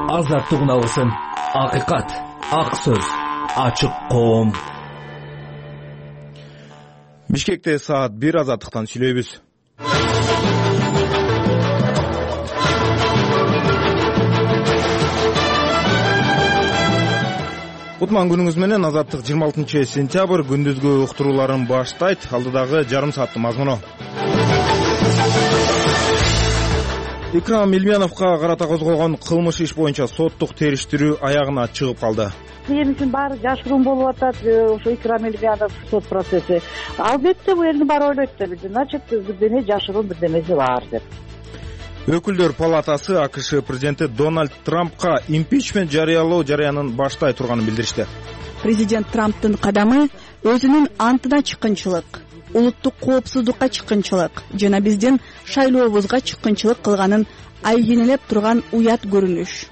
Азаттык үналысын, акыйкат, ак сөз, ачык коом. Бишкекте саат 1 азаттыктан сүйлөйбүз. Кутман күнүңүз менен. Азаттык 26 сентябрь күндүзгү уктурууларын баштайт. Алдыдагы жарым сааттын мазмуну. Икрам Милмяновго карата козголгон кылмыш иш боюнча соттук териштирүү аягына чыгып калды. Элибиздин баары жашыруун болуп атат. Ошо Икрам Милмянов сот процесси. Албетте бул элдин баары ойлойт да, значит, бирдеме жашыруун, бирдемеси бар деп. Өкүлдөр палатасы АКШ президенти Дональд Трампка импичмент жарыялоо жарыянын баштай турганын билдиришти. Президент Трамптын кадамы өзүнүн антына чыккынчылык, улуттук коопсуздукка чыккынчылык жана биздин шайлообузга чыккынчылык кылганын айгинелеп турган уят көрүнүш.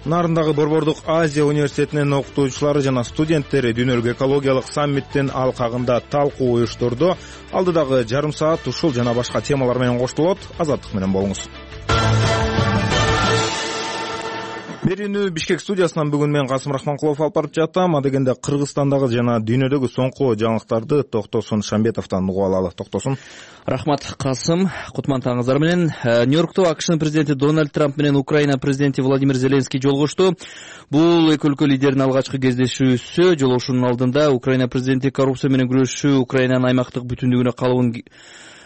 Нарындагы Борбордук Азия университетинин окутуучулары жана студенттери дүйнөлүк экологиялык саммиттин алкагында талкуу уюштурду. Алдыдагы жарым саат ушул жана башка темалар менен коштолот. Азаттык менен болуңуз. Берүүнү Бишкек студиясынан бүгүн мен Касым Рахманкулов алып барып жатам. Адегенде Кыргызстандагы жана дүйнөдөгү соңку жаңылыктарды Токтосун Шамбетовдон угуп алалы. Токтосун. Рахмат, Касым. Кутман таңыңыздар менен. Нью-Йоркто АКШнын президенти Дональд Трамп менен Украина президенти Владимир Зеленский жолугушту. Бул эки өлкө лидеринин алгачкы кездешүүсү. Жолугушуунун алдында Украина президенти коррупция менен күрөшүү, Украинанын аймактык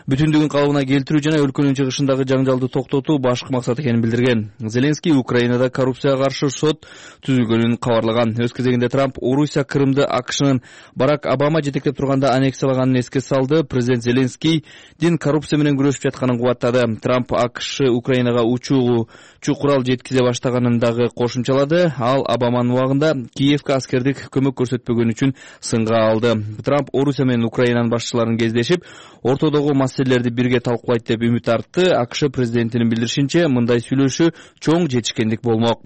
бүтүндүгүн калыбына келтирүү жана өлкөнүн чыгышындагы жаңжалды токтотуу башкы максат экенин билдирген. Зеленский Украинада коррупцияга каршы сот түзүлгөнүн кабарлаган. Өз кезегинде Трамп Орусия Крымды АКШнын Барак Обама жетектеп турганда аннексиялаганын эске салды. Президент Зеленскийдин коррупция менен күрөшүп жатканын кубаттады. Трамп АКШ Украинага учуу курал жеткизе баштаганын дагы кошумчалады. Ал Обаманын убагында Киевке аскердик көмөк көрсөтпөгөн үчүн сынга алды. Трамп Орусия менен Украинанын башчыларын кездешип, ортодогу маселелерди бирге талкуулайт деп үмүт артты. АКШ президентинин билдиришинче, мындай сүйлөшүү чоң жетишкендик болмок.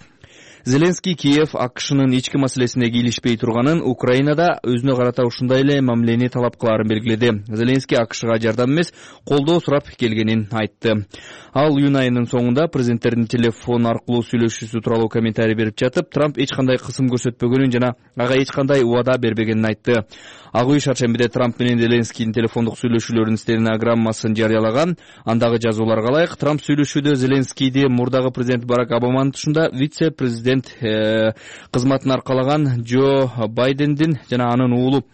Зеленский Киев АКШнын ички маселесине кийлишпей турганын, Украинада өзүнө карата ушундай эле мамилени талап кылаарын белгиледи. Зеленский АКШга жардам эмес, колдоо сурап келгенин айтты. Ал июнь айынын соңунда президенттердин телефон аркылуу сүйлөшүүсү тууралуу комментарий берип жатып, Трамп эч кандай кысым көрсөтпөгөнүн жана ага эч кандай убада бербегенин айтты. Ак үй шаршембиде Трамп менен Зеленскийдин телефондук сүйлөшүүлөрүнүн стенограммасын жарыялаган. Андагы жазууларга ылайык, Трамп сүйлөшүүдө Зеленскийди мурдагы президент Барак Обаманын тушунда вице-президент кызматын аркалаган Джо Байдендин жана анын уулу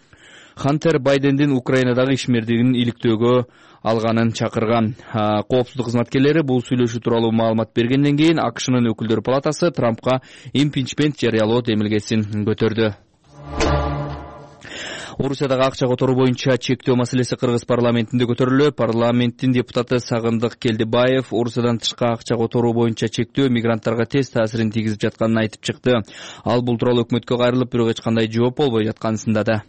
Хантер Байдендин Украинадагы ишмердигин иликтөөгө алганын чакырган. Коопсуздук кызматкерлери бул сүйлөшүү тууралуу маалымат бергенден кийин АКШнын өкүлдөр палатасы Трампка импичмент жарыялоо демилгесин көтөрдү. Орусиядагы акча которуу боюнча чектөө маселеси Кыргыз парламентинде көтөрүлдү. Парламенттин депутаты Сагындык Келдибаев Орусиядан тышкы акча которуу боюнча чектөө мигранттарга тез таасирин тийгизип жатканын айтып чыкты. Ал бул тууралуу өкмөткө кайрылып, бирок эч кандай жооп болбой жатканын сындады.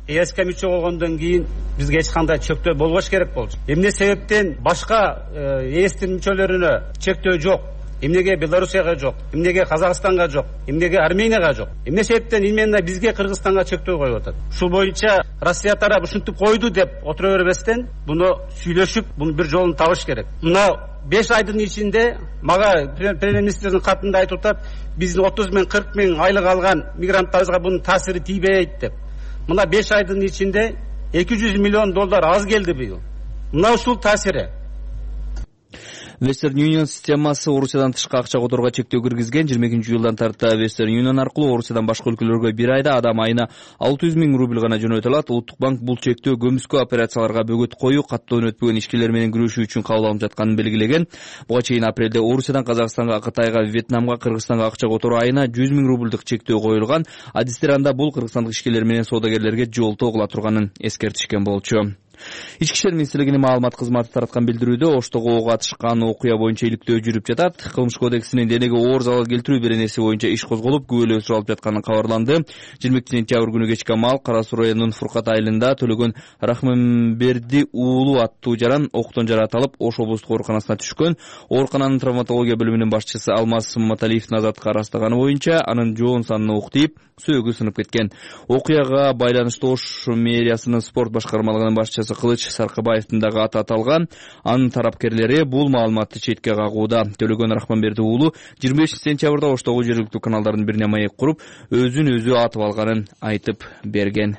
ЭСК мүчө болгондон кийин бизге эч кандай чектөө болбош керек болчу. Эмне себептен башка ЭСтин мүчөлөрүнө чектөө жок? Эмнеге Белоруссияга жок? Эмнеге Казакстанга жок? Эмнеге Арменияга жок? Эмне себептен именно бизге Кыргызстанга чектөө коюп атат? Ушул боюнча Россия тарабы ушинтип койду деп отура бербестен, буну сүйлөшүп, бунун бир жолун табыш керек. Мына 5 айдын ичинде мага премьер-министрдин катында айтып атат, биздин 30 миң 40 миң айлык алган мигранттарыбызга бунун таасири тийбейт деп. Мына 5 айдын ичинде $200 миллион аз келди быйыл. Мына ушул таасири. Western Union системасы Орусиядан тышкы акча которууга чектөө киргизген. 22-жылдан тарта Western Union аркылуу Орусиядан башка өлкөлөргө бир айда адам айына 600 миң рубль гана жөнөтө алат. Улуттук банк бул чектөө көмүскө операцияларга бөгөт коюу, каттоон өтпөгөн ишкерлер менен күрөшүү үчүн кабыл алынып жатканын белгилеген. Буга чейин апрелде Орусиядан Казакстанга, Кытайга, Вьетнамга, Кыргызстанга акча которуу айына 100 миң рубльдук чектөө коюлган. Адистер анда бул кыргызстандык ишкерлер менен соодагерлерге жолтоо кыла турганын эскертишкен болчу. Ички иштер министрлигинин маалымат кызматы тараткан билдирүүдө Оштого ок атышкан окуя боюнча иликтөө жүрүп жатат. Кылмыш кодексинин денеге оор залал келтирүү беренеси боюнча иш козголуп, күбөлөө суралып жатканы кабарланды. 22-сентябрь күнү кечке маал Кара Суу районунун Фуркат айылында Төлөгөн Рахманберди уулу аттуу жаран октон жаратылып, Ош облустук ооруканасына түшкөн. Оорукананын травматология бөлүмүнүн башчысы Алмаз Маталиевдин азаттыкка ырастаганы боюнча анын жоон санына ук тийип, сөөгү сынып кеткен. Окуяга байланыштуу Ош мэриясынын спорт башкармалыгынын башчысы башчысы Кылыч Саркыбаевдин дагы аты аталган. Анын тарапкерлери бул маалыматты четке кагууда. Төлөгөн Рахманберди уулу 25 сентябрда Оштогу жергиликтүү каналдардын бирине маек куруп, өзүн өзү атып алганын айтып берген.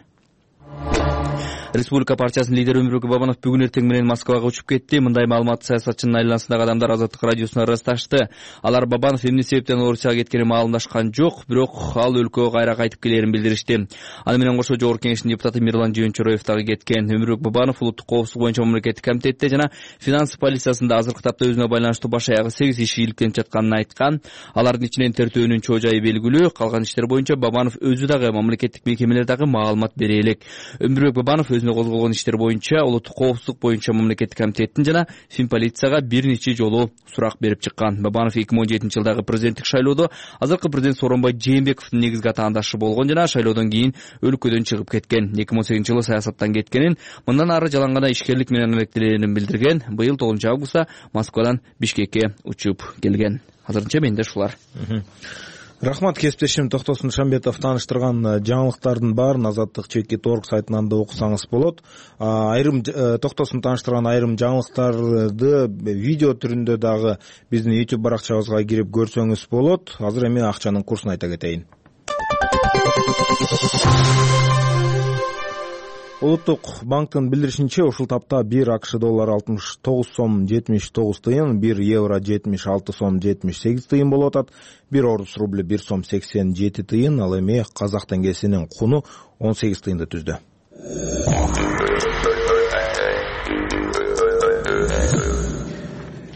Республика партиясынын лидери Өмүрбек Бабанов бүгүн эртең менен Москвага учуп кетти. Мындай маалыматты саясатчынын айланасындагы адамдар Азаттык радиосуна ырасташты. Алар Бабанов эмне себептен Орусияга кеткени маалымдашкан жок, бирок ал өлкөгө кайра кайтып келерин билдиришти. Аны менен кошо Жогорку Кеңештин депутаты Мирлан Жыйынчороев дагы кеткен. Өмүрбек Бабанов улуттук коопсуздук боюнча мамлекеттик комитетте жана финанс полициясында азыркы тапта өзүнө байланыштуу баш аягы 8 иш ийгиликтенип жатканын айткан. Алардын ичинен тертөөнүн чоо жайы белгилүү. Калган иштер боюнча Бабанов өзү дагы мамлекеттик мекемелер дагы маалымат бере элек. Өмүрбек Бабанов өзүнө козголгон иштер боюнча улуттук коопсуздук боюнча мамлекеттик комитеттин жана Финполицияга бир нече жолу сурак берип чыккан. Бабанов 2017-жылдагы президенттик шайлоодо азыркы президент Сооронбай Жээнбековдун негизги атаандашы болгон жана шайлоодон кийин өлкөдөн чыгып кеткен. 2018-жылы саясаттан кеткенин, мындан ары жалаң гана ишкерлик менен алектенерин билдирген. Быйыл 9-августта Москвадан Бишкекке учуп келген. Азырынча менде ушулар. Рахмат, кесиптешим Токтосун Шамбетов тааныштырган жаңылыктардын баарын Азаттык /org сайтынан да окусаңыз болот. Айрым Токтосун тааныштырган айрым жаңылыктарды видео түрүндө дагы биздин YouTube баракчабызга кирип көрсөңүз болот. Азыр эми акчанын курсун айта кетейин. Улуттук банктын билдиришинче, ушул тапта 1 АКШ доллары 69 сом 79 тыйын, 1 евро 76 сом 78 тыйын болуп атат. 1 орус рубль 1 сом 87 тыйын, ал эми казак теңгесинин куну 18 тыйынды түздү.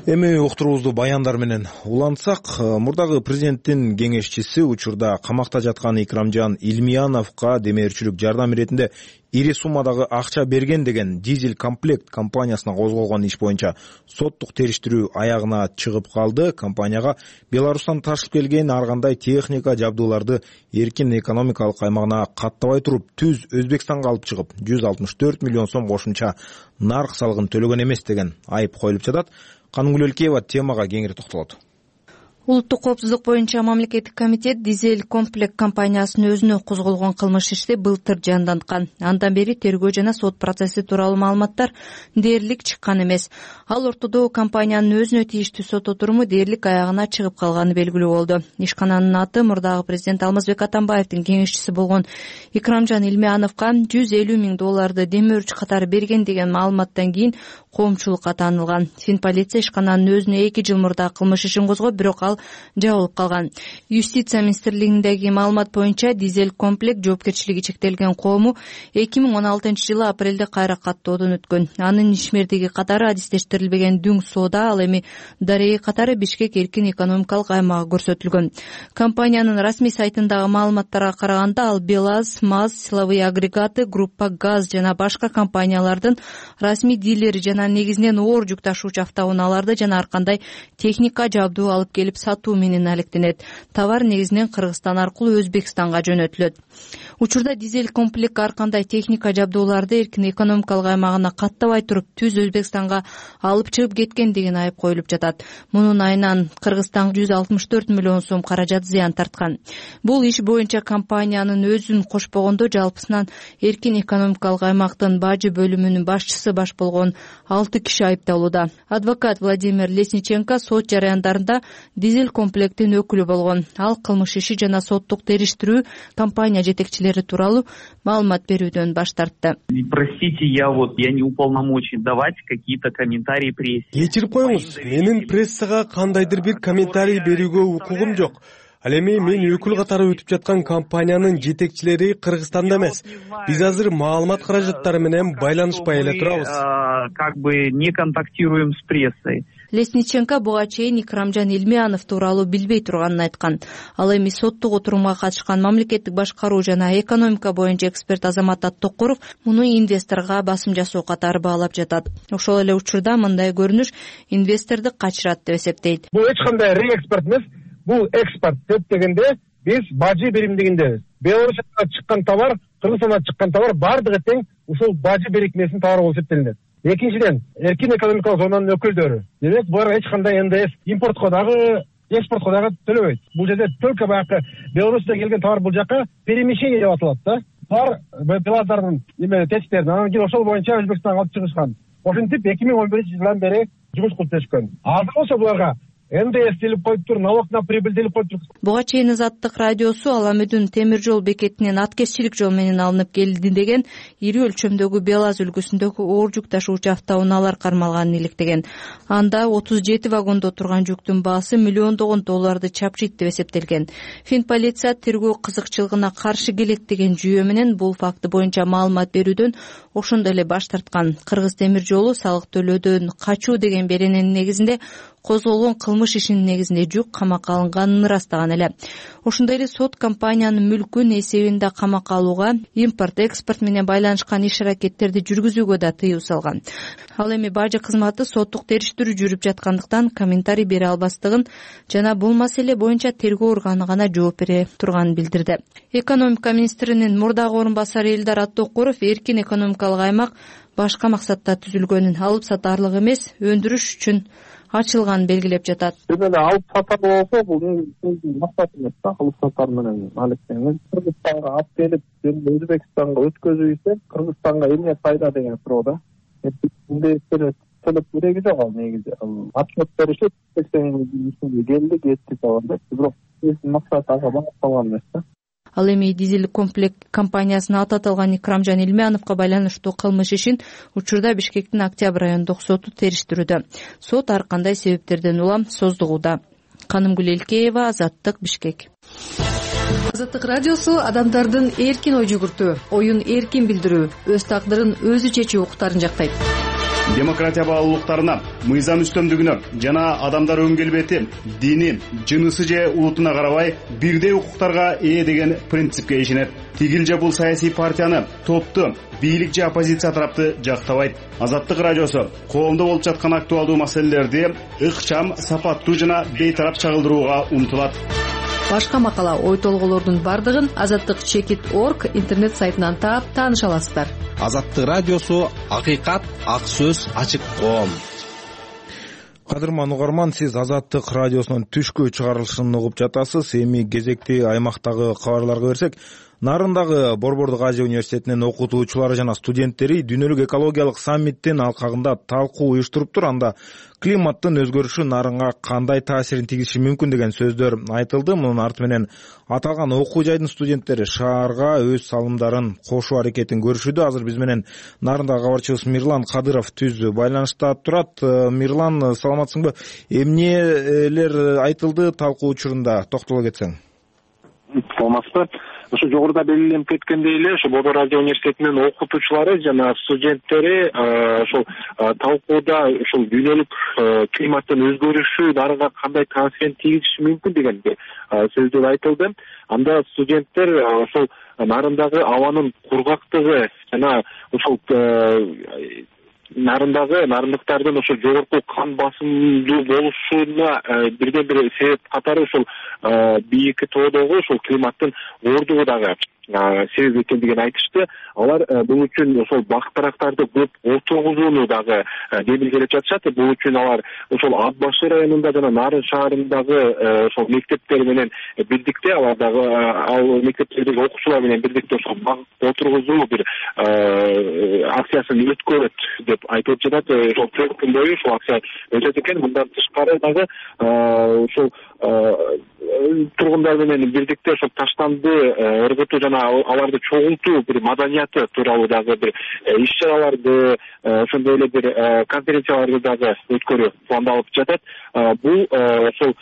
Эми уктуруубузду баяндар менен улантсак, мурдагы президенттин кеңешчиси учурда камакта жаткан Икрамжан Илмияновго демеушчүлүк жардам иретинде ири суммадагы акча берген деген Дизель комплект компаниясына козголгон иш боюнча соттук териштирүү аягына чыгып калды. Компанияга Беларустан ташып келген ар кандай техника, жабдууларды эркин экономикалык аймагына каттабай туруп түз Өзбекстанга алып чыгып 164 миллион сом кошумча нарк салыгын төлөгөн эмес деген айып коюлуп жатат. Каныгүл Элкеева темага кеңири токтолот. Улуттук коопсуздук боюнча мамлекеттик комитет Дизель комплект компаниясынын өзүнө козголгон кылмыш ишти былтыр жанданткан. Андан бери тергөө жана сот процесси тууралуу маалыматтар дээрлик чыккан эмес. Ал ортодо компаниянын өзүнө тийиштүү сот отуруму дээрлик аягына чыгып калганы белгилүү болду. Ишкананын аты мурдагы президент Алмазбек Атамбаевдин кеңешчиси болгон Икрамжан Илмияновго 150 миң долларды демөөрчү катары берген деген маалыматтан кийин коомчулукка таанылган. Финполиция ишкананын өзүнө 2 жыл мурда кылмыш ишин козгоп, бирок ал жабылып калган. Юстиция министрлигиндеги маалымат боюнча Дизель комплект жоопкерчилиги чектелген коому 2016-жылы апрелде кайра каттоодон өткөн. Анын ишмердиги катары адистештирилбеген Дүң соода, ал эми Дарей катары Бишкек эркин экономикалык аймагы көрсөтүлгөн. Компаниянын расмий сайтындагы маалыматтарга караганда, ал БелАЗ, МАЗ, силовые агрегаты, группа ГАЗ жана башка компаниялардын расмий дилери жана негизинен оор жүк ташуучу автоунааларды жана ар кандай техника, жабдуу алып келип сатуу менен алектенет. Товар негизинен Кыргызстан аркылуу Өзбекстанга жөнөтүлөт. Учурда Дизель комплект ар кандай техника, жабдууларды эркин экономикалык аймагына каттабай туруп түз Өзбекстанга алып чыгып кеткен деген айып коюлуп жатат. Мунун айынан Кыргызстан 164 миллион сом каражат зыян тарткан. Бул иш боюнча компаниянын өзүн кошпогондо жалпысынан эркин экономикалык аймактын бажы бөлүмүнүн башчысы баш болгон 6 киши айыпталууда. Адвокат Владимир Лесниченко сот жарыяндарында Дизель комплектин өкүлү болгон. Ал кылмыш иши жана соттук териштирүү компания жетекчилери тууралуу маалымат берүүдөн баш тартты. Простите, я не уполномочен давать какие-то комментарии прессе. Кечирип коюңуз, менин прессага кандайдыр бир комментарий берүүгө укугум жок. Ал эми мен өкүл катары өтүп жаткан компаниянын жетекчилери Кыргызстанда эмес. Биз азыр маалымат каражаттары менен байланышпай эле турабыз. Как бы не контактируем с прессой. Лесниченко буга чейин Икрамжан Илмиянов тууралуу билбей турганын айткан. Ал эми соттук отурумга катышкан мамлекеттик башкаруу жана экономика боюнча эксперт Азамат Аттокуров муну инвесторго басым жасоо катары баалап жатат. Ошол эле учурда мындай көрүнүш инвесторду качырат деп эсептейт. Бул эч кандай реэкспорт эмес, бул экспорт деп дегенде биз бажы биримдигиндебиз. Беларусияга чыккан товар, Кыргызстандан чыккан товар бардыгы тең ушул бажы бирикмесинин товары болуп эсептелинет. Экинчиден, эркин экономикалык зонанын өкүлдөрү. Демек, булар эч кандай НДС импортко дагы, экспортко дагы төлөбөйт. Бул жерде только баягы Беларусьтан келген товар бул жака перемещение деп аталат да. Булар белаздардын тесттерин анан кийин ошол боюнча Өзбекстанга алып чыгышкан. Ошентип 2011-жылдан бери жумуш кылып келишкен. Азыр болсо буларга НДС делип коюптур, налог на прибыль делип коюптур. Буга чейин Азаттык радиосу Аламүдүн темир жол бекетинен аткезчилик жол менен алынып келди деген ири өлчөмдөгү Белаз үлгүсүндөгү оор жүк ташуучу автоунаалар кармалганын иликтеген. Анда 37 вагондо турган жүктүн баасы миллиондогон долларды чапчыйт деп эсептелген. Фин полиция тергөө кызыкчылыгына каршы келет деген жүйө менен бул факты боюнча маалымат берүүдөн ошондой эле баш тарткан. Кыргыз темир жолу салык төлөөдөн качуу деген берененин негизинде козголгон кылмыш ишинин негизинде жүк камакка алынганын ырастаган эле. Ошондой эле сот компаниянын мүлкүн эсебинде камакка алууга, импорт, экспорт менен байланышкан иш-аракеттерди жүргүзүүгө да тыюу салган. Ал эми бажы кызматы соттук териштирүү жүрүп жаткандыктан комментарий бере албастыгын жана бул маселе боюнча тергөө органы гана жооп бере турганын билдирди. Экономика министринин мурдагы орун басары Элдар Аттокуров эркин экономикалык аймак башка максатта түзүлгөнүн, алып сатарлык эмес, өндүрүш үчүн ачылганын белгилеп жатат. Алып сатар болсо бул максат эмес да, алып сатар менен алектеңиз. Кыргызстанга алып келип, Өзбекстанга өткөзүү ise Кыргызстанга эмне пайда деген суроо да. Төлөп кереги жок ал негизи. Отчет беришип, келди, кетти да. Бирок максат ага багытталган эмес да. Ал эми дизель комплект компаниясына аты аталган Икрамжан Илмяновго байланыштуу кылмыш ишин учурда Бишкектин Октябрь райондук соту териштирүүдө. Сот ар кандай себептерден улам создугууда. Канымгүл Элкеева, Азаттык, Бишкек. Азаттык радиосу адамдардын эркин ой жүгүртүү, оюн эркин билдирүү, өз тагдырын өзү чечүү укуктарын жактайт. Демократия баалуулуктарына, мыйзам үстөмдүгүнө жана адамдар өң келбети, дини, жынысы же улутуна карабай бирдей укуктарга ээ деген принципке ишенет. Тигил же бул саясий партияны, топту, бийлик же оппозиция тарапты жактабайт. Азаттык радиосу коомдо болуп жаткан актуалдуу маселелерди ыкчам, сапаттуу жана бейтарап чагылдырууга умтулат. Башка макала, ой толголордун бардыгын azattik.org интернет сайтынан таап тааныша аласыздар. Азаттык радиосу акыйкат, ак сөз, ачык коом. Кадырман угарман, сиз Азаттык радиосунун түшкү чыгарылышын угуп жатасыз. Эми кезекти аймактагы кабарларга берсек, Нарындагы Борбордук Азия университетинин окутуучулары жана студенттери дүйнөлүк экологиялык саммиттин алкагында талкуу уюштуруптур. Анда климаттын өзгөрүшү нарынга кандай таасирин тийгизиши мүмкүн деген сөздөр айтылды. Мунун арты менен аталган окуу жайдын студенттери шаарга өз салымдарын кошуу аракетин көрүшүүдө. Азыр биз менен Нарындагы кабарчыбыз Мирлан Кадыров түз байланышта турат. Мирлан, саламатсыңбы? Эмнелер айтылды талкуу учурунда, токтоло кетсең. Саламатсызбы? Ошо жогоруда белгиленип кеткендей эле, ошо Борбор Азия университетинин окутуучулары жана студенттери ошол талкууда ушул дүйнөлүк климаттын өзгөрүшү нарынга кандай таасирин тийгизиши мүмкүн деген сөздөр айтылды. Анда студенттер ошол нарындагы абанын кургактыгы жана ошол нарындыктардын ошо жогорку кан басымдуу болушуна бирден бир себеп катары ошол бийики тоодогу ошол климаттын оордугу дагы себеп экендигин айтышты. Алар бул үчүн ошол бак-дарактарды көп отургузууну дагы белгилеп жатышат. Бул үчүн алар ошол Ат башы районунда жана Нарын шаарындагы ошол мектептер менен бирдикте, алар дагы ал мектептердеги окуучулар менен бирдикте ошол бак отургузуу бир акциясын өткөрөт деп айтылып жатат. Ошол 4 күн бою ушул акция өтөт экен. Мындан тышкары дагы ошол тургундар менен бирдикте ошол таштанды ыргытуу жана аларды чогултуу бир маданияты тууралуу дагы бир иш-чараларды, ошондой эле бир конференцияларды дагы өткөрүү пландалып жатат. Бул ошол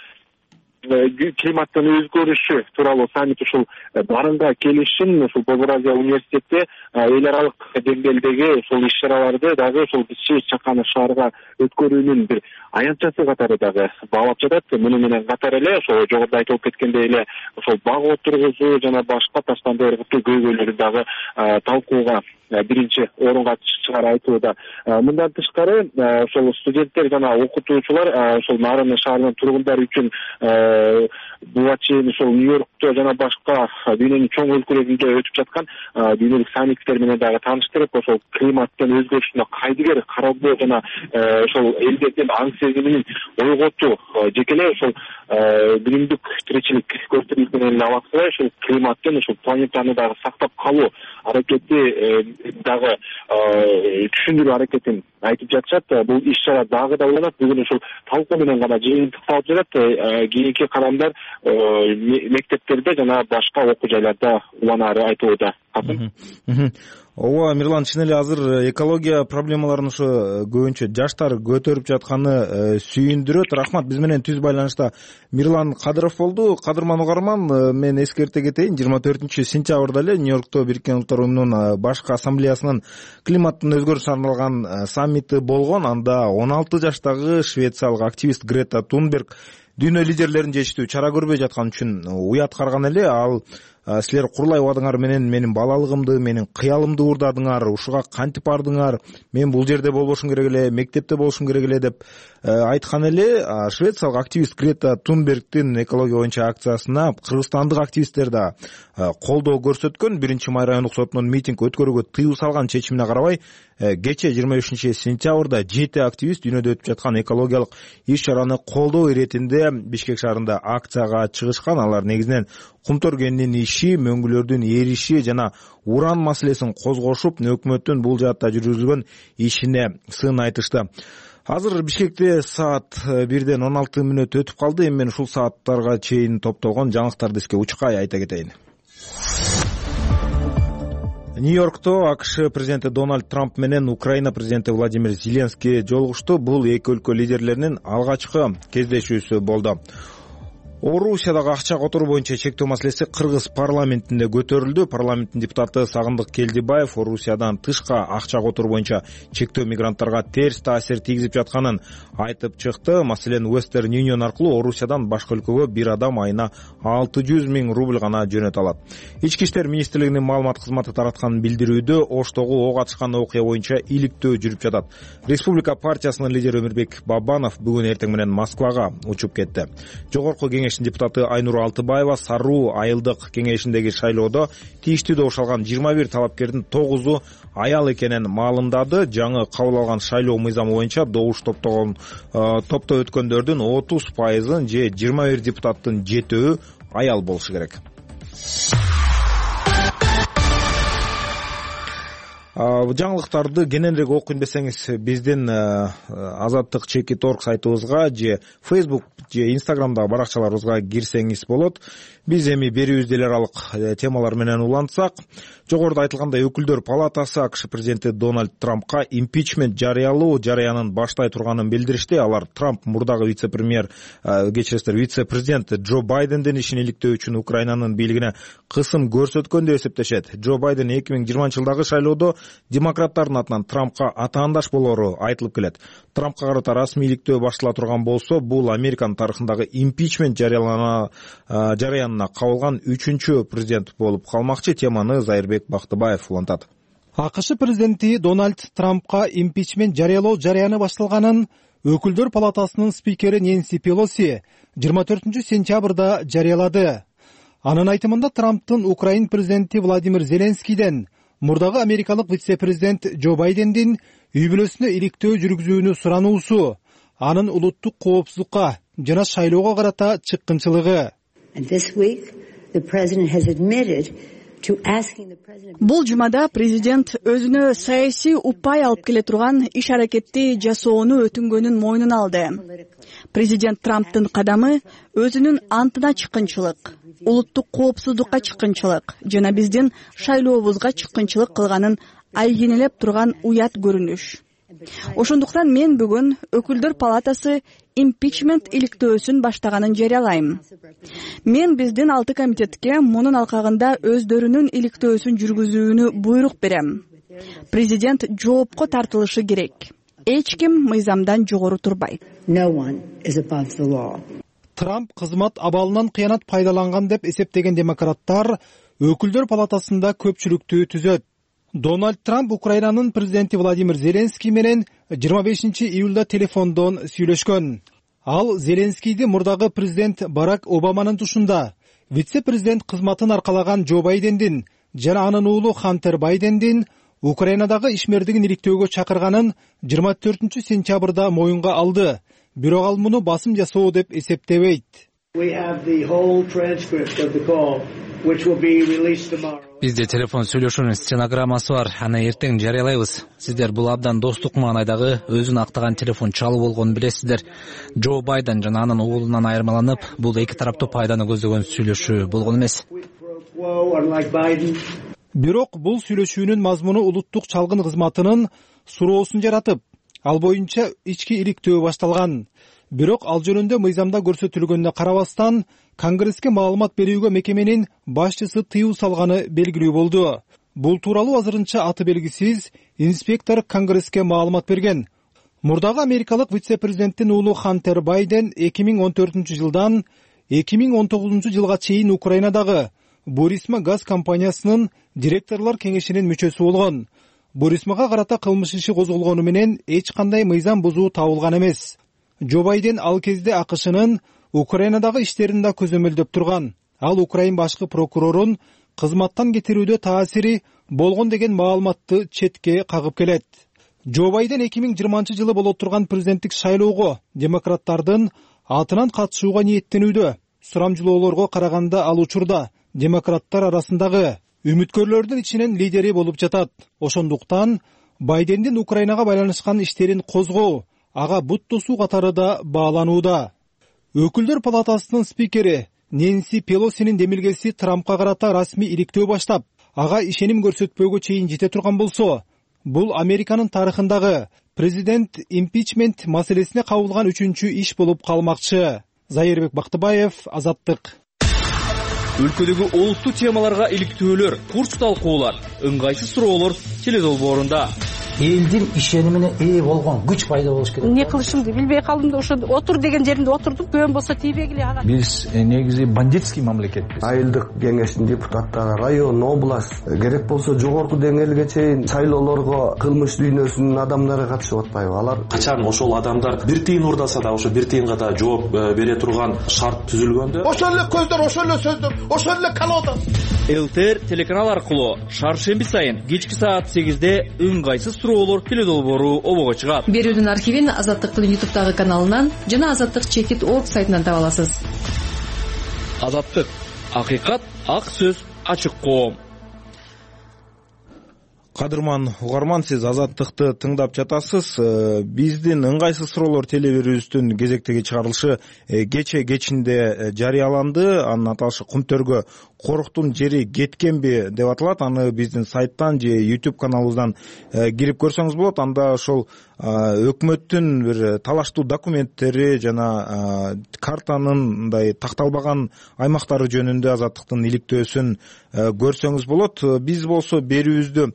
климаттын өзгөрүшү тууралуу саммит ушул барынга келишин ушул Борбор Азия университети эл аралык деңгээлдеги ушул иш-чараларды дагы ушул Чаканы шаарга өткөрүүнүн бир аянтчасы катары дагы баалап жатат. Муну менен катар эле ошол жогоруда айтылып кеткендей эле ошол баг отургузуу жана башка таштанды ыргытуу көйгөйлөрү дагы талкууга биринчи орунга чыгары айтылууда. Мындан тышкары ошол студенттер жана окутуучулар ошол Нарын шаарынын тургундары үчүн буга чейин ошол Нью-Йоркто жана башка дүйнөнүн чоң өлкөлөрүндө өтүп жаткан дүйнөлүк саммиттер менен дагы тааныштырып, ошол климаттын өзгөрүшүнө кайдыгер кароодо жана ошол элдердин аң сезимин ойготуу жеке эле ошол күнүмдүк тиричилик көзтүрүлүк менен эле алат кылбай, ошол климаттын, ошол планетаны дагы сактап калуу аракети дагы түшүндүрүү аракетин айтып жатышат. Бул иш чара дагы да уланат. Бүгүн ошол талкуу менен гана жыйынтыкталып жатат. Кийинки кадамдар мектептерде жана башка окуу жайларда уланаары айтылууда. Ооба, Мирлан, чын эле азыр экология проблемаларын ошо көбүнчө жаштар көтөрүп жатканы сүйүндүрөт. Рахмат. Биз менен түз байланышта Мирлан Кадыров болду. Кадырман угарман, мен эскерте кетейин, 24-сентябрда эле Нью-Йоркто Бириккен Улуттар Уюмунун башкы ассамблеясынын климаттын өзгөрүшүнө арналган саммити болгон. Анда 16 жаштагы швециялык активист Грета Тунберг дүйнө лидерлерин жетиштүү чара көрбөй жаткан үчүн уят карган эле. Ал силер курулай убадыңар менен менин балалыгымды, менин кыялымды уурдадыңар, ушуга кантип бардыңар, мен бул жерде болбошум керек эле, мектепте болушум керек эле деп айткан эле. Швециялык активист Грета Тунбергдин экология боюнча акциясына кыргызстандык активисттер да колдоо көрсөткөн. 1-Май райондук сотунун митинг өткөрүүгө тыюу салган чечимине карабай, кече 25-сентябрда 7 активист дүйнөдө өтүп жаткан экологиялык иш-чараны колдоо иретинде Бишкек шаарында акцияга чыгышкан. Алар негизинен кумтөр кенинин иши, мөңгүлөрдүн эриши жана уран маселесин козгошуп, өкмөттүн бул жаатта жүргүзүлгөн ишине сын айтышты. Азыр Бишкекте саат 1:16 өтүп калды. Эми мен ушул сааттарга чейин топтолгон жаңылыктарды сизге учкай айта кетейин. Нью-Йоркто АКШ президенти Дональд Трамп менен Украина президенти Владимир Зеленский жолугушту. Бул эки өлкө лидерлеринин алгачкы кездешүүсү болду. Орусиядагы акча которуу боюнча чектөө маселеси Кыргыз парламентинде көтөрүлдү. Парламенттин депутаты Сагындык Келдибаев Орусиядан тышка акча которуу боюнча чектөө мигранттарга терс таасир тийгизип жатканын айтып чыкты. Маселен, Western Union аркылуу Орусиядан башка өлкөгө бир адам айына 600 000 рубль гана жөнөтө алат. Ички иштер министрлигинин маалымат кызматы тараткан билдирүүдө Оштогу ок атышкан окуя боюнча иликтөө жүрүп жатат. Республика партиясынын лидери Өмүрбек Бабанов бүгүн эртең менен Москвага учуп кетти. Жогорку депутаты Айнур Алтыбаева Саруу айылдык кеңешиндеги шайлоодо тийиштүү добуш алган 21 талапкердин 9-у аял экенин маалымдады. Жаңы кабыл алган шайлоо мыйзамы боюнча добуш топто өткөндөрдүн 30% же 21 депутаттын 7-өө аял болушу керек. Жаңылыктарды кененирээк окуйн десеңиз, биздин Азаттык Чекит.орг сайтыбызга же Facebook же Instagramдагы баракчаларыбызга кирсеңиз болот. Биз эми берүүбүздө эл аралык темалар менен улантсак, жогоруда айтылгандай Өкүлдөр палатасы АКШ президенти Дональд Трампка импичмент жарыялоо жараянын баштай турганын билдиришти. Алар Трамп мурдагы вице-президент Джо Байдендин ишин иликтөө үчүн Украинанын бийлигине кысым көрсөткөн деп эсептешет. Джо Байден 2020-жылдагы шайлоодо демократтардын атынан Трампка атаандаш болору айтылып келет. Трампка карата расмий иликтөө баштала турган болсо, бул Американын тарыхындагы импичмент жараянына кабылган 3-чү президент болуп калмакчы. Теманы Зайырбек Бактыбаев улантат. АКШ президенти Дональд Трампка импичмент жарыялоо жараяны башталганын Өкүлдөр палатасынын спикери Нэнси Пелоси 24-сентябрда жарыялады. Анын айтымында Трамптын Украин президенти Владимир Зеленскийден мурдагы америкалык вице-президент Джо Байдендин үй бүлөсүнө иликтөө жүргүзүүнү сурануусу анын улуттук коопсуздукка жана шайлоого карата чыккынчылыгы. Бул жумада президент өзүнө саясий упай алып келе турган иш-аракетти жасоону өтүнгөнүн мойнуна алды. Президент Трамптын кадамы өзүнүн антына чыккынчылык, улуттук коопсуздукка чыккынчылык жана биздин шайлообузга чыккынчылык кылганын айгинелеп турган уят көрүнүш. Ошондуктан мен бүгүн Өкүлдөр палатасы импичмент иликтөөсүн баштаганын жарыялайм. Мен биздин 6 комитетке мунун алкагында өздөрүнүн иликтөөсүн жүргүзүүнү буйрук берем. Президент жоопко тартылышы керек. Эч ким мыйзамдан жогору турбайт. Трамп кызмат абалынан кыянат пайдаланган деп эсептеген демократтар Өкүлдөр палатасында көпчүлүктү түзөт. Дональд Трамп Украинанын президенти Владимир Зеленский менен 25-июлда телефондон сүйлөшкөн. Ал Зеленскийди мурдагы президент Барак Обаманын тушунда, вице-президент кызматын аркалаган Джо Байдендин жана анын уулу Хантер Байдендин Украинадагы ишмердигин иликтөөгө чакырганын 24-сентябрда моюнга алды. Бирок ал муну басым жасоо деп эсептебейт. Бизде телефон сүйлөшүүнүн стенограммасы бар, аны эртең жарыялайбыз. Сиздер бул абдан достук маанайдагы өзүн актаган телефон чалуу болгонун билесиздер. Джо Байден жана анын уулунан айырмаланып, бул эки тараптуу пайданы көздөгөн сүйлөшүү болгон эмес. Бирок бул сүйлөшүүнүн мазмуну улуттук чалгын кызматынын суроосун жаратып, ал боюнча ички иликтөө башталган. Бирок ал жөнүндө мыйзамда көрсөтүлгөнүнө карабастан, Конгресске маалымат берүүгө мекеменин башчысы тыюу салганы белгилүү болду. Бул тууралуу азырынча аты белгисиз инспектор Конгресске маалымат берген. Мурдагы америкалык вице-президенттин уулу Хантер Байден 2014-жылдан 2019-жылга чейин Украинадагы Бурисма газ компаниясынын директорлор кеңешинин мүчөсү болгон. Бурисмага карата кылмыш иши козголгону менен эч кандай мыйзам бузуу табылган эмес. Джо Байден ал кезде АКШнын Украинадагы иштерин да көзөмөлдөп турган. Ал Украин башкы прокурорун кызматтан кетирүүдө таасири болгон деген маалыматты четке кагып келет. Джо Байден 2020-жылы боло турган президенттик шайлоого демократтардын атынан катышууга ниеттенүүдө. Сурамжылоолорго караганда ал учурда демократтар арасындагы үмүткөрлөрдүн ичинен лидери болуп жатат. Ошондуктан Байдендин Украинага байланышкан иштерин козгоо ага бут тосуу катары да бааланууда. Өкүлдөр палатасынын спикери Нэнси Пелосинин демилгеси Трампка карата расмий иликтөө баштап, ага ишеним көрсөтпөөгө чейин жете турган болсо, бул Американын тарыхындагы президент импичмент маселесине кабылган 3-чү иш болуп калмакчы. Зайырбек Бактыбаев, Азаттык. Өлкөдөгү олуттуу темаларга иликтөөлөр, курч талкуулар, ыңгайсыз суроолор теледолбоорунда. Элдин ишенимине ээ болгон күч пайда болуш керек. Не кылышымды билбей калдым да ошо отур деген жеринде отурдум. Көн болсо тийбегиле ага. Биз негизи бандитский мамлекетпиз. Айылдык кеңештин депутаттары, район, область, керек болсо жогорку деңгээлге чейин шайлоолорго кылмыш дүйнөсүнүн адамдары катышып атпайбы? Алар качан ошол адамдар бир тыйын урдаса да ошо бир тыйынга да жооп бере турган шарт түзүлгөндө, ошол эле көздөр, ошол эле сөздөр, ошол эле колода. ЛТР телеканал аркылуу шаршемби сайын кечки саат 8-де ыңгайсыз суроолор теледолбоору обого чыгат. Берүүнүн архивин Азаттыктын YouTube'дагы каналынан жана Азаттык Чекит.org сайтынан таба аласыз. Азаттык, акыйкат, ак сөз, ачык коом. Кадырман угарман, сиз Азаттыкты тыңдап жатасыз. Биздин ыңгайсыз суроолор телебирүүбүздүн кезектеги чыгарылышы кечинде жарыяланды. Анын аталышы Кумтөргө коруктун жери кеткенби деп аталат. Аны биздин сайттан же YouTube каналыбыздан кирип көрсөңүз болот. Анда ошол өкмөттүн бир талаштуу документтери жана картанын мындай такталбаган аймактары жөнүндө Азаттыктын иликтөөсүн көрсөңүз болот. Биз болсо берүүбүздү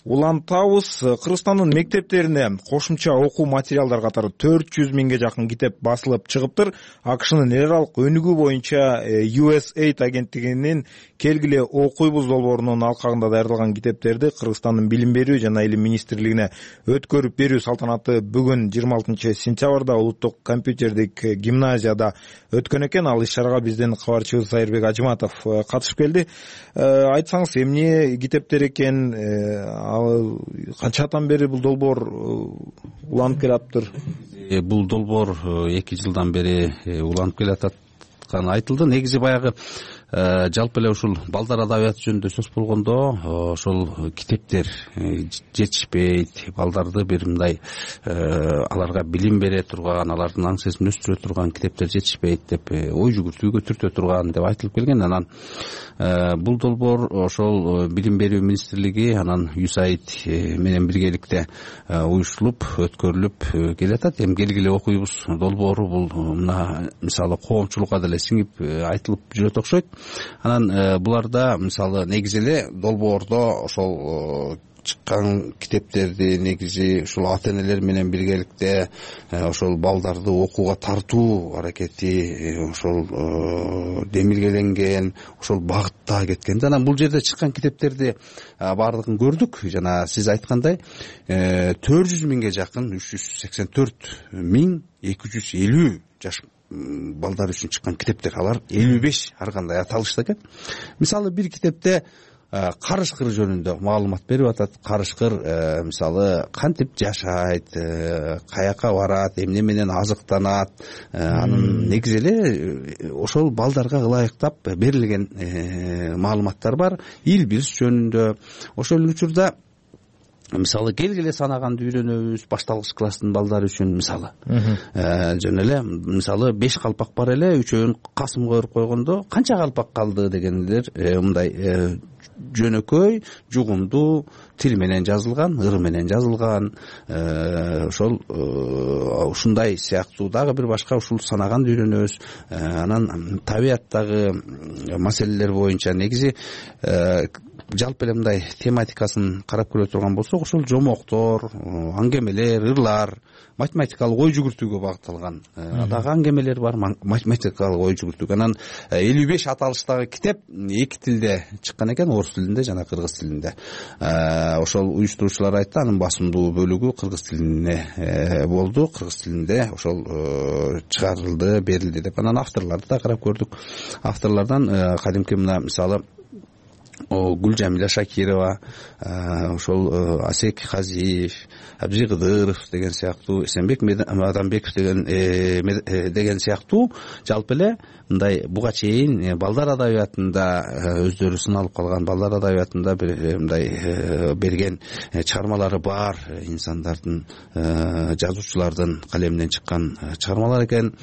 улантабыз. Кыргызстандын мектептерине кошумча окуу материалдар катары 400 миңге жакын китеп басылып чыгыптыр. АКШнын эл аралык өнүгүү боюнча USAID агенттигинин келгиле окуйбуз долбоорунун алкагында даярдалган китептерди Кыргызстандын билим берүү жана илим министрлигине өткөрүп берүү салтанаты бүгүн 26-сентябрда улуттук компьютердик гимназияда өткөн экен. Ал иш-чарага биздин кабарчыбыз Сайырбек Ажыматов катышып келди. Айтсаңыз, эмне китептер экен, канчадан бери бул долбоор уланып келаптыр? Бул долбоор 2 жылдан бери уланып келатканы айтылды. Негизи баягы жалпы эле ушул балдар адабияты жөнүндө сөз болгондо ошол китептер жетишпейт, балдарды бир мындай аларга билим бере турган, алардын аң сезимин өстүрө турган китептер жетишпейт деп ой жүгүртүүгө түртө турган деп айтылып келген. Анан бул долбоор ошол билим берүү министрлиги анан USAID менен биргеликте уюштурулуп өткөрүлүп келатат. Эми келгиле окуйбуз долбоору бул мына мисалы коомчулукка деле сиңип айтылып жүрөт окшойт. Анан буларда мисалы негизи эле долбоордо ошол чыккан китептерди негизи ушул ата-энелер менен биргеликте ошол балдарды окууга тартуу аракети ошол демилгеленген, ошол багытта кеткен. Анан бул жерде чыккан китептерди баардыгын көрдүк. Жана сиз айткандай 400 миңге жакын 384 миң 250 жаш балдар үчүн чыккан китептер, алар 55 ар кандай аталышта экен. Мисалы бир китепте карышкыр жөнүндө маалымат берип атат. Карышкыр мисалы кантип жашайт, каяка барат, эмне менен азыктанат, анын негизи эле ошол балдарга ылайыктап берилген маалыматтар бар. Ил бирс жөнүндө ошол учурда мисалы келгиле санаганды үйрөнөбүз башталгыч класстын балдары үчүн. Мисалы жөн эле мисалы 5 калпак бар эле, үчөөнүн касымга өөрүп койгондо канча калпак калды дегендер мындай жөнөкөй, жугумдуу тил менен жазылган, ыр менен жазылган. Ошол ушундай сыяктуу дагы бир башка ушул санаганды үйрөнөбүз. Анан табияттагы маселелер боюнча негизи жалпы эле мындай тематикасын карап көрө турган болсок, ошол жомоктор, аңгемелер, ырлар, математикалык ой жүгүртүүгө багытталган дагы аңгемелер бар, математикалык ой жүгүртүүгө. Анан 55 аталыштагы китеп 2 тилде чыккан экен, орус тилинде жана кыргыз тилинде. Ошол уюштуруучулар айтты, анын басымдуу бөлүгү кыргыз тилине болду, кыргыз тилинде ошол чыгарылды, берилди деп. Анан авторлорду да карап көрдүк. Авторлордон кадимки мына мисалы Гүлжамиля Шакирова, ошол Асек Казиев, Абжи Кыдыров деген сыяктуу, Эсенбек Адамбеков деген сыяктуу жалпы эле мындай буга чейин балдар адабиятында өздөрү сыналып калган, балдар адабиятында мындай берген чыгармалары бар инсандардын, жазуучулардын калеминен чыккан чыгармалар экен.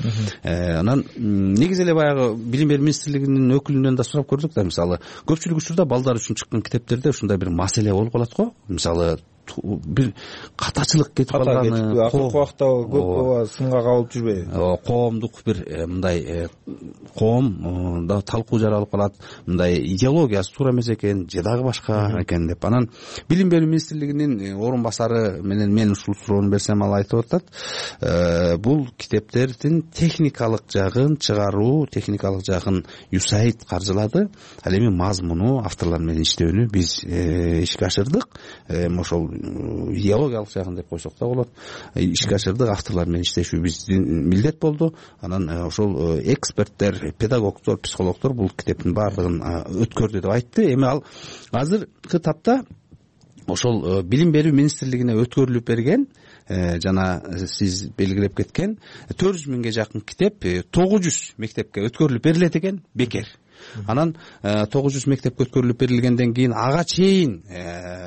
Анан негизи эле баягы Билим берүү министрлигинин өкүлүнөн да сурап көрдүк да, мисалы көпчүлүк учурда балдар үчүн чыккан китептерде ушундай бир маселе болуп калат го. Мисалы бир катачылык кетип калганы, акыркы убакта көп сынга кабылып жүрбөйбү? Коомдук бир мындай коом да талкуу жаралып калат, мындай идеологиясы туура эмес экен, же дагы башка экен деп. Анан Билим берүү министрлигинин орун басары менен мен ушул суроону берсем, ал айтып атат, бул китептердин техникалык жагын чыгаруу, техникалык жагын USAID каржылады. Ал эми мазмуну, авторлор менен иштөөнү биз ишке ашырдык. Ошол идеологиялык жагын деп койсок да болот. Ишке ашырдык, авторлор менен иштешүү биздин милдет болду. Анан ошол эксперттер, педагогдор, психологдор бул китептин баардыгын өткөрдү деп айтты. Эми ал азыркы тапта ошол Билим берүү министрлигине өткөрүлүп берген жана сиз белгилеп кеткен 400 миңге жакын китеп 900 мектепке өткөрүлүп берилет экен, бекер. Анан 900 мектепке өткөрүлүп берилгенден кийин ага чейин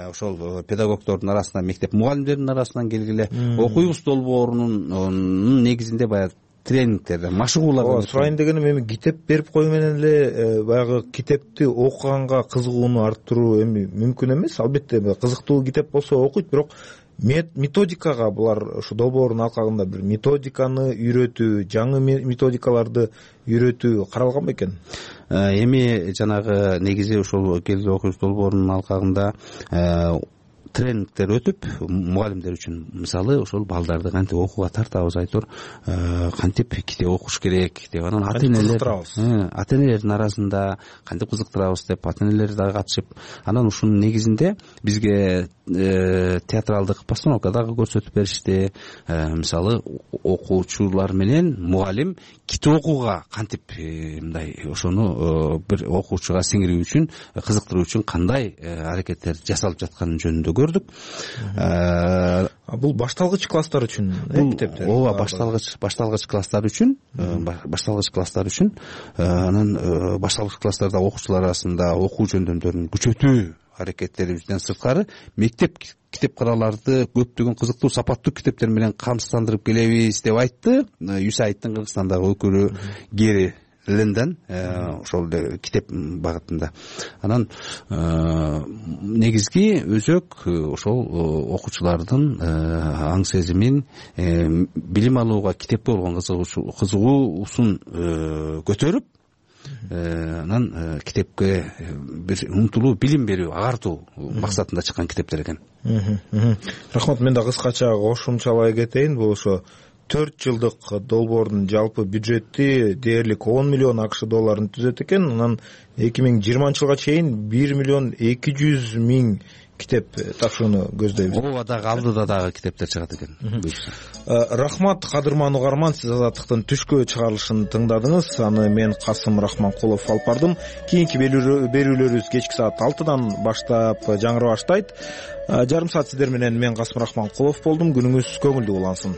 ошол педагогдордун арасынан, мектеп мугалимдеринин арасынан келгиле окуйбуз долбоорунун негизинде баягы тренингтерде, машыгуулар сурайын дегеним, эми китеп берип койуу менен эле баягы китепти окуганга кызыгууну арттыруу эми мүмкүн эмес. Албетте кызыктуу китеп болсо окуйт, бирок методикага булар ушу долбоордун алкагында бир методиканы үйрөтүү, жаңы методикаларды үйрөтүү каралган бекен? Эми жанагы негизи ушул келгиле окуйбуз долбоорунун алкагында тренингтер өтүп, мугалимдер үчүн мисалы ошол балдарды кантип окууга тартабыз, айтор кантип китеп окуш керек деп. Анан ата-энелердин арасында кантип кызыктырабыз деп ата-энелер дагы катышып, анан ушунун негизинде бизге театралдык постановка дагы көрсөтүп беришти. Мисалы окуучулар менен мугалим китеп окууга кантип мындай ошону бир окуучуга сиңирүү үчүн, кызыктыруу үчүн кандай аракеттер жасалып жатканы жөнүндө көрдүк. Бул башталгыч класстар үчүн китептер? Ооба, башталгыч класстар үчүн, анан башталгыч класстарда окуучулар арасында окуу жөндөмдөрүн күчөтүү аракеттерибизден сырткары мектеп китепканаларды көптөгөн кызыктуу, сапаттуу китептер менен камсыздандырып келебиз деп айтты USAIDтын Кыргызстандагы өкүлү Гери Ленден, ошол китеп багытында. Анан негизги өзөк ошол окуучулардын аң сезимин, билим алууга китепке болгон кызыгуусун көтөрүп, анан китепке бир умтулуу, билим берүү, агартуу максатында чыккан китептер экен. Рахмат, мен да кыскача кошумчалай кетейин. Бул ошо 4 жылдык долбоордун жалпы бюджети дээрлик 10 миллион АКШ долларын түзөт экен. Анан 2020 жылга чейин 1 миллион 200 миң китеп тапшырууну көздөйбүз. ооба, дагы алдыда дагы китептер чыгат экен. Рахмат кадырман угарман, сиз Азаттыктын түшкө чыгарылышын тыңдадыңыз. Аны мен Касым Рахманкулов алып бардым. Кийинки берүүлөрүбүз кечки саат 6-дан баштап жаңыра баштайт. Жарым саат сиздер менен мен Касым Рахманкулов болдум. Күнүңүз көңүлдүү улансын.